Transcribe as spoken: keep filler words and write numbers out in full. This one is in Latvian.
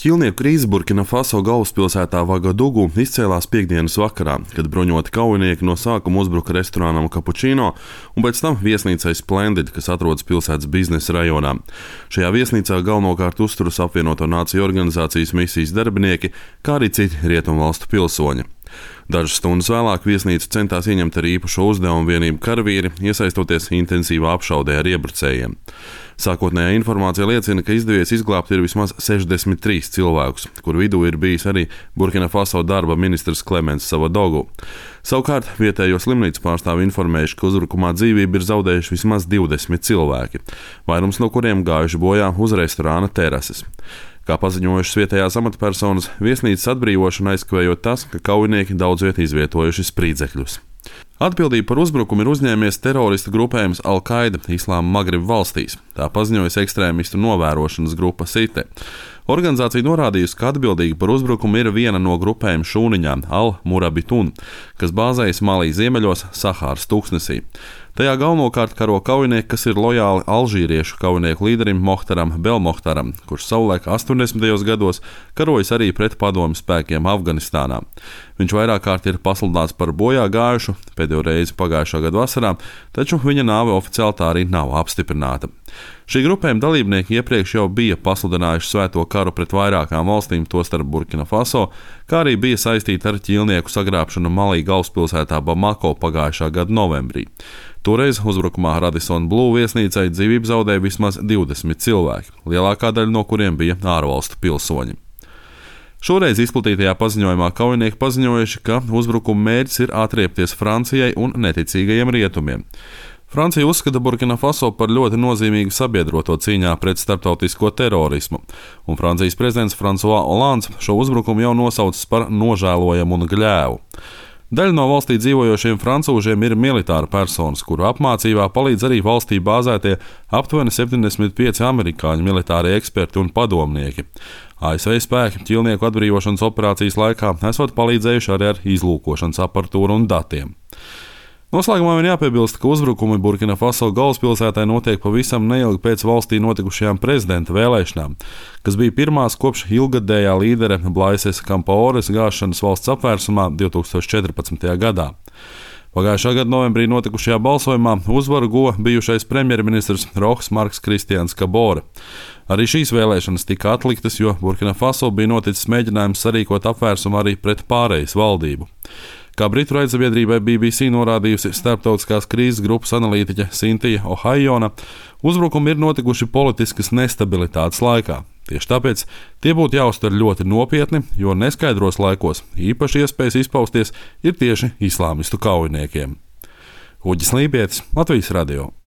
Ķīlnieku krīze Burkina Faso galvaspilsētā Vagadugu izcēlās piektdienas vakarā, kad bruņoti kaujinieki no sākuma uzbruka restorānam Cappuccino un pēc tam viesnīcai Splendid, kas atrodas pilsētas biznesa rajonā. Šajā viesnīcā galvenokārt uzturas apvienoto nāciju organizācijas misijas darbinieki, kā arī citi rietumvalstu pilsoņi. Dažas stundas vēlāk viesnīcu centās ieņemt ar īpašo uzdevumu vienību karavīri, iesaistoties intensīvā apšaudē ar iebrucējiem. Sākotnējā informācija liecina, ka izdevies izglābt ir vismaz sešdesmit trīs cilvēkus, kur vidū ir bijis arī Burkina Faso darba ministrs Klemens Savadogu. Savukārt vietējo slimnīcu pārstāvi informējuši, ka uzbrukumā dzīvību ir zaudējuši vismaz divdesmit cilvēki, vairums no kuriem gājuši bojā uz restorāna terases. Kā paziņojušas vietējās amatpersonas, viesnīcas atbrīvošanu aizkavējot tas, ka kaujinieki daudz viet izvietojuši spridzekļus. Atbildību par uzbrukumu ir uzņēmies teroristu grupējums Al-Qaida Islāma Magribu valstīs, tā paziņojas ekstrēmistu novērošanas grupa Site. Organizācija norādījusi, ka atbildīga par uzbrukumu ir viena no grupējuma šūniņām Al-Murabitun, kas bāzējas Malī ziemeļos Sahāras tūkstnesī. Tajā galvenokārt karo kaujinieki, kas ir lojāli alžīriešu kaujinieku līderim Mohtaram Belmohtaram, kurš savulaik astoņdesmitajos gados karojas arī pret padomju spēkiem Afganistānā. Viņš vairāk kārt ir pasludināts par bojā gājušu, pēdējo reizi pagājušā gada vasarā, taču viņa nāve oficiāli tā arī nav apstiprināta. Šī grupējuma dalībnieki iepriekš jau bija pasludinājuši svēto karu pret vairākām valstīm, tostarp Burkina Faso, kā arī bija saistīti ar ķīlnieku sagrābšanu Malī galvaspilsētā Bamako pagājušā gada novembrī. Toreiz uzbrukumā Radisson Blu viesnīcai dzīvību zaudēja vismaz divdesmit cilvēki, lielākā daļa no kuriem bija ārvalstu pilsoņi. Šoreiz izplatītajā paziņojumā kaujinieki paziņojuši, ka uzbrukuma mērķis ir atriepties Francijai un neticīgajiem rietumiem. Francija uzskata Burkina Faso par ļoti nozīmīgu sabiedroto cīņā pret starptautisko terorismu, un Francijas prezidents François Hollands šo uzbrukumu jau nosaucis par nožēlojamu un gļēvu. Daļa no valstī dzīvojošiem francūžiem ir militāra personas, kuru apmācībā palīdz arī valstī bāzētie aptuveni septiņdesmit pieci amerikāņu militārie eksperti un padomnieki. A S V spēki ķīlnieku atbrīvošanas operācijas laikā esot palīdzējuši arī ar izlūkošanas aparatūru un datiem. Noslēgumā vien jāpiebilst, ka uzbrukumi Burkina Faso galvaspilsētai notiek pavisam neilgi pēc valstī notikušajām prezidenta vēlēšanām, kas bija pirmās kopš ilgadējā līdere Blaises Kampaores gāšanas valsts apvērsumā divtūkstoš četrpadsmitajā gadā. Pagājušā gada novembrī notikušajā balsojumā uzvaru guva bijušais premjerministrs Rohs Marks Kristians Kabore. Arī šīs vēlēšanas tika atliktas, jo Burkina Faso bija noticis mēģinājums sarīkot apvērsumu arī pret pārejas valdību. Kā britu raidsabiedrībai B B C norādījusi starptautiskās krīzes grupas analītiķe Cynthia O'Haiona, uzbrukumi ir notikuši politiskas nestabilitātes laikā. Tieši tāpēc tie būtu jāuztver ļoti nopietni, jo neskaidros laikos īpaši iespējas izpausties ir tieši islāmistu kaujiniekiem. Uģis Lībietis, Latvijas radio.